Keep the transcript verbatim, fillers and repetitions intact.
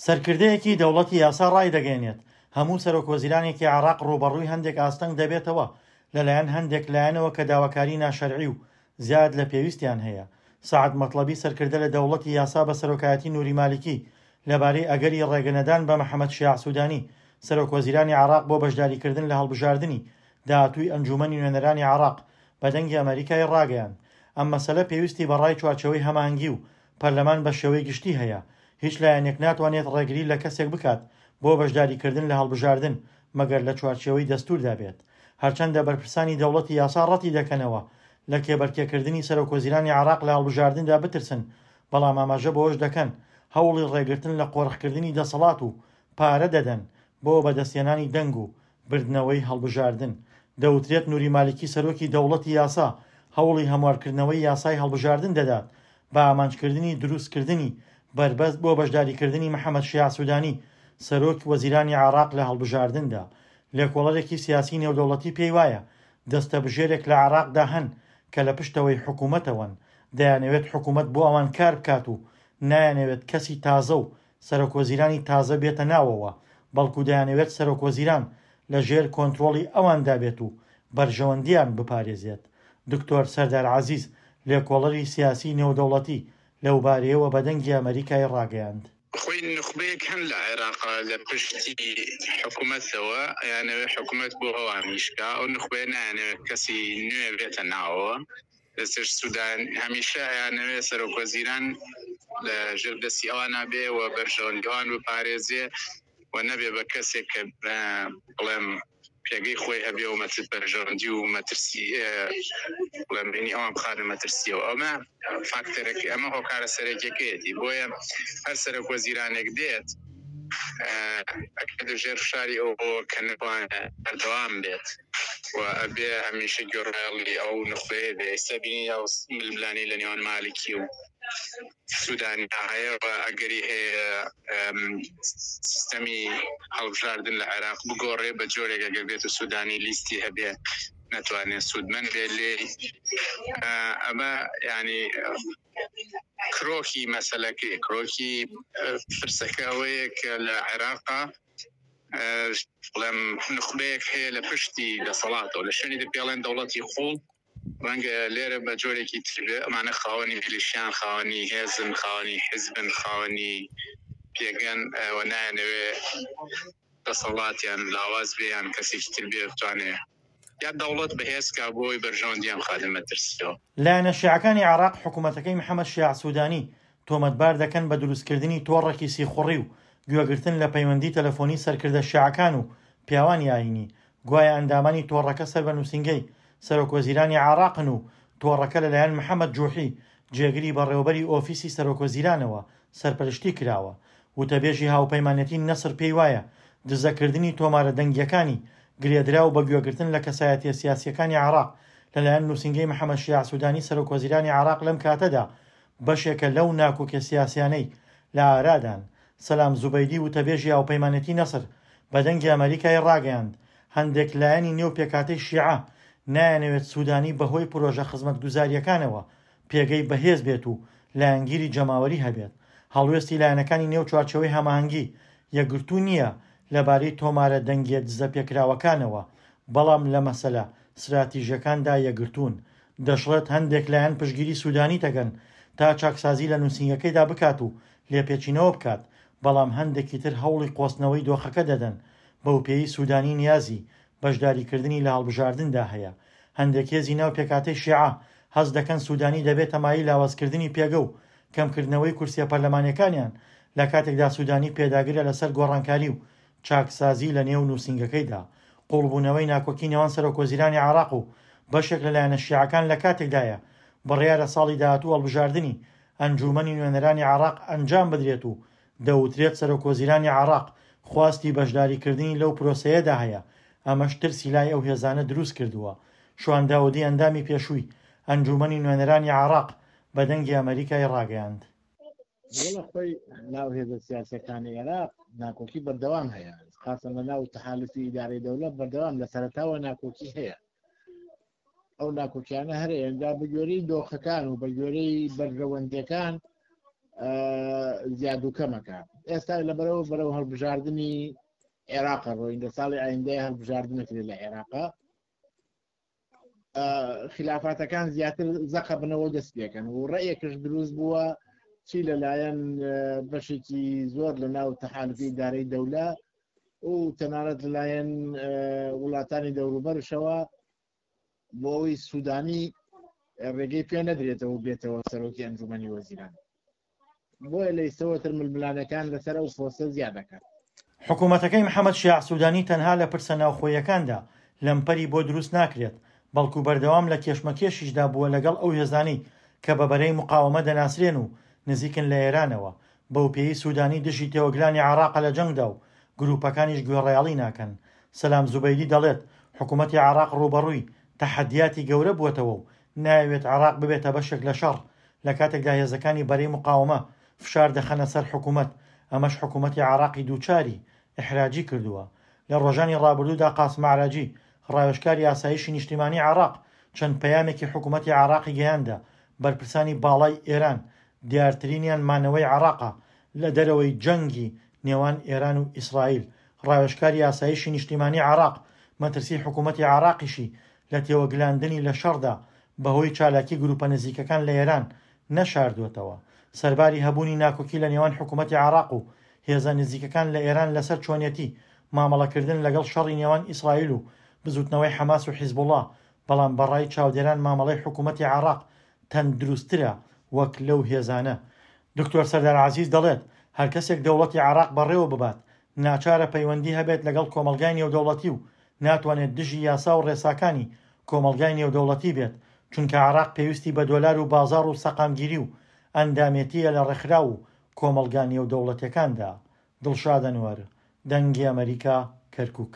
سەرکردەیەکی دەوڵەتی یاسا ڕایدەگەیەنێت، هەموو سەرۆکوەزیرانێکی عێراق ڕووبەڕووی هەندێک ئاستەنگ دەبێتەوە لەلایەن هەندێک لایەنەوە کە داواکاری ناشەرعی و زیاد لە پێویستیان هەیە. سەعد مەتڵەبی سەرکردە لە دەوڵەتی یاسا بە سەرۆکایەتی نوری مالیکی لەبارەی ئەگەری ڕێگەنەدان بە محەمەد شیاع سودانی سەرۆکوەزیرانی عێراق بۆ بەشداریکردن لە هەڵبژاردنی داهاتووی ئەنجوومەنی نوێنەرانی عێراق بە دەنگی ئەمەریکای ڕاگەیاند ئەم مەسەلە پێویستی بە ڕای چوارچێوەی هەماهەنگی و پەرلەمان بە شێوەی گشتی هەیە. هیچ لایەنێک ناتوانێت ڕێگری لە کەسێک بکات بۆ بەشداریکردن لە هەڵبژاردن مەگەر لە چوارچێوەی دەستوردا بێت. هەرچەندە بەرپرسانی دەوڵەتی یاسا ڕەتی دەکەنەوە لە کێبەرکێکردنی سەرۆکوەزیرانی عێراق لە هەڵبژاردندا بترسن، بەڵام ئاماژە بەوەش دەکەن هەوڵی ڕێگرتن لە قۆرخکردنی دەسەڵات و پارە دەدەن بۆ بەدەستهێنانی دەنگ و بردنەوەی هەڵبژاردن. دەوترێت نوری مالیکی سەرۆکی دەوڵەتی یاسا هەوڵی هەموارکردنەوەی یاسای هەڵبژاردن دەدات بە ئامانجکردنی دروستکردنی بەربەست بۆ بەشداریکردنی محەمەد شیاع سودانی سەرۆک وەزیرانی عێراق لە هەڵبژاردندا. لێکۆڵەرێکی سیاسی نێودەوڵەتی پێی وایە دەستەبژێرێک لە عێراقدا هەن کە لە پشتەوەی حکومەتەوەن، دەیانەوێت حکومەت بۆ ئەوان کار بکات و نایانەوێت کەسی تازە و سەرۆکوەزیرانی تازە بێتە ناوەوە، بەڵکو دەیانەوێت سەرۆکوەزیران لە ژێر کۆنترۆڵی ئەواندا بێت و بەرژەوەندییان بپارێزێت. دکتۆر سەردار عەزیز، لێکۆڵەری سیاسیی نێودەوڵەتی لەوبارەیەوە بە دەنگی ئەمەریکای ڕاگەیاند. خۆی نوخبەیەک هەن لە عێراق لە پشتی حکومەتەوە ئەیانەوێت حکومەت بۆ ئەوان ئیش کا، ئەو نوخبەیە نایانەوێت کەسی نوێ بێتە ناوەوە. لەسەر سودان هەمیشە ئەیانەوێت سەرۆک وەزیران لە ژێر دەستی ئەوانە بێ و بەرژەوەندی ئەوان بپارێزێ و نەبێ بە کەسێک کە بڵێم پێگەی خۆی هەبێ و مەتر بەرژەوەندی و مەترسی بڵێم بینی ئەوان بخاتە مەترسیەوە. ئەمە فاکتەرێک، ئەمە هۆکارە سەرەکیەکەیەتی. بۆیە هەر سەرۆک وەزیرانێک دێت ئەکەوێتە ژێر فشاری ئەوەوە کە نەتوانێت بەردەوام بێت و ئەبێ هەمیشە گوێڕایەڵی ئەو نوخبەیە بێ. ئێستا بینی ئەو ململانێی لە نێوان مالکی و سودانی هەیە و ئەگەری هەیە سیستەمی هەڵبژاردن لە عێراق بگۆڕێ بە جۆرێک ئەگەر بێت و سودانی لیستی هەبێ نەتوانێت سوودمەند بێ لێی. ئەمە یعنی کرۆکی مەسەلەکەی، کرۆکی پرسەکە ئەوەیە کە لە عێراقا بڵێم نوخبەیەک هەیە لە پشتی دەسەڵاتەوە، لە شوێنی پێڵێن دەوڵەتی قوڵ، ڕەنگە لێرە بە جۆرێکی تر بێ. ئەمانە خاوەنی میلیشیان، خاوەنی هێزن، خاوەنی حیزبن، خاوەنی پێگەن و نایانەوێ دەسەڵاتیان لاواز بێ یان کەسێکی تر بێ بتوانێ یا دەوڵەت بەهێز کا بۆ ئەوەی بەرژەوەندیان بخاتە مەترسیەوە. لایەنە شیعەکانی عێراق حکومەتەکەی محەمەد شیاع سودانی تۆمەتبار دەکەن بە دروستکردنی تۆڕێکی سیخوڕی و گوێگرتن لە پەیوەندی تەلەفۆنی سەرکردە شیعەکان و پیاوانی ئایینی، گوایە ئەندامانی تۆڕەکە سەر بە نووسینگەی سەرۆکوەزیرانی عێراقن و تۆڕەکە لەلایەن محەمەد جوحی جێگری بەڕێوەبەری ئۆفیسی سەرۆکوەزیرانەوە سەرپەرشتی کراوە. وتەبێژی هاوپەیمانێتی نەسر پێیوایە دزەکردنی تۆمارە دەنگییەکانی گرێدراو بە گوێگرتن لە کەسایەتییە سیاسییەکانی عێراق لەلایەن نووسینگەی محەمەد شیاع سودانی سەرۆکوەزیرانی عێراق لەم کاتەدا بەشێکە لەو ناکۆکیە سیاسیانەی لە ئارادان. سەلام زوبەیدی وتەبێژی هاوپەیمانێتی نەسر بە دەنگی ئەمەریکای ڕاگەیاند هەندێک لایەنی نێو پێکهاتەی شیعە نایانەوێت سودانی بەهۆی پرۆژە خزمەتگوزارییەکانەوە پێگەی بەهێز بێت و لایەنگیری جەماوەری هەبێت. هەڵوێستی لایەنەکانی نێو چوارچێوەی هەماهەنگی یەکگرتوو نییە لەبارەی تۆمارە دەنگییە دزەپێکراوەکانەوە، بەڵام لە مەسەلە ستراتیژییەکاندا یەکگرتوون. دەشڵێت هەندێک لایەن پشتگیری سودانی دەکەن تا چاکسازی لە نووسینگەکەیدا بکات و لێپێچینەوە بکات، بەڵام هەندێکی تر هەوڵی قۆستنەوەی دۆخەکە دەدەن، بەوپێیەی سودانی نیازی بەشداریکردنی لە هەڵبژاردندا هەیە. هەندێک هێزی ناو پێکهاتەی شیعە هەست دەکەن سودانی دەبێتە مایەی لاوازکردنی پێگە و کەمکردنەوەی کورسیە پەرلەمانیەکانیان، لە کاتێکدا سودانی پێداگرە لەسەر گۆڕانکاری و چاکسازی لە نێو نووسینگەکەیدا. قوڵبوونەوەی ناکۆکی نێوان سەرۆکوەزیرانی عێراق و بەشێک لە لایەنە شیعەکان لە کاتێکدایە بڕیارە ساڵی داهاتوو هەڵبژاردنی ئەنجوومەنی نوێنەرانی عێراق ئەنجام بدرێت و دەوترێت سەرۆکوەزیرانی عێراق خواستی بەشداریکردنی لەو پرۆسەیەدا هەیە، ئەمەش ترسی لای ئەو هێزانە دروستکردووە. شوان داودی ئەندامی پێشووی ئەنجوومەنی نوێنەرانی عێراق بە دەنگی ئەمەریکای ڕاگەیاند. وەڵا خۆی ناو هێزە سیاسیەکانی عێراق ناکۆکی بەردەوام هەیە، خاصە لە ناو تەحالفی ئیدارەی دەولەت بەردەوام لە سەرەتاوە ناکۆکی هەیە. ئەو ناکۆکیانە هەر ئێندا بە گوێرەی دۆخەکان و بە گوێرەی بەرژەوەندیەکان زیاد و کەمەکە. ئێستا لەبەرەوە بەرەو هەڵبژاردنی عێراقە ڕۆین، لە ساڵی ئایندەی هەڵبژاردنەکرێت لە عێراقا. خلافاتەکان زیاتر زەقە بنەوە دەست پێکەن و ڕێیەکش دروست بووە چی لەلایەن بەشێکی زۆر لە ناو تەحالفی ئیدارەی دەولە و تەنانەت لەلایەن وڵاتانی دەوروبەرشەوە بۆ ئەوەی سوودانی ڕێگەی پێ نەدرێتەوە بێتەوە سەرۆکی ئەنجومەنی وەزیران. بۆیە لە ئیستەوەتر ململانەکان لەسەر ئەو پۆستە زیاد دەکات. حکوومەتەکەی محەممەد شیاع سوودانی تەنها لە پرسە ناوخۆیەکاندا لەمپەری بۆ دروست ناکرێت، بەڵکو بەردەوام لە کێشمەکێشیشدا بووە لەگەڵ ئەو هێزانەی کە بە بەرەی مقاومە دەناسرێن و نزیکن لە ئێرانەوە، بەو پێی سوودانی دژی تێوەگلانی عێراقە لە جەنگدا و گروپەکانیش گوێڕایەڵی ناکەن. سەلام زوبەیدی دەڵێت حکوومەتی عێراق ڕووبەڕووی تەحەدیاتی گەورە بووەتەوە و ناوێت عێراق ببێتە بەشێک لە شەڕ، لە کاتێکدا هێزەکانی بەرەی مقاومە فشار دەخەنە سەر حکوومەت، ئەمەش حکوومەتی عێراقی دووچاری ئیحراجی کردووە. لە ڕۆژانی ڕابردوودا قاسم عراجی ڕاوێژکاری ئاسایشی نیشتیمانی عێراق چەند پەیامێکی حکوومەتی عێراقی گەیاندە بەرپرسانی باڵای ئێران، دیارترینیان مانەوەی عێراقە لە دەرەوەی جەنگی نێوان ئێران و ئیسرائیل. ڕاوێژکاری ئاسایشی نیشتیمانی عێراق مەترسی حکوومەتی عێراقیشی لە تێوەگلاندنی لە شەڕدا بەهۆی چالاکی گروپە نزیکەکان لە ئێران نەشاردوێتەوە. سەرباری هەبوونی ناکۆکی لە نێوان حکوومەتی عێراق و هێزە نزیکەکان لە ئێران لەسەر چۆنیەتی مامەڵەکردن لەگەڵ شەڕی نێوان ئیسرائیل و بزوتنەوەی حەماس و حیزبوڵا، بەڵام بەڕای چاودێران مامەڵەی حکوومەتی عێراق تەندروستترە وەک لەو هێزانە. دکتۆر سەردار عەزیز دەڵێت هەر کەسێک دەوڵەتی عێراق بەڕێوە ببات ناچارە پەیوەندی هەبێت لەگەڵ کۆمەڵگای نێودەوڵەتی و ناتوانێت دژی یاسا و ڕێساکانی کۆمەڵگای نێودەوڵەتی بێت، چونکە عێراق پێویستی بە دۆلار و بازاڕ و سەقامگیری و ئەندامێتیە لە ڕێکخراو و کۆمەڵگا نێودەوڵەتیەکاندا. دڵشاد ئەنوەر، دەنگی ئەمەریکا، کەرکووک.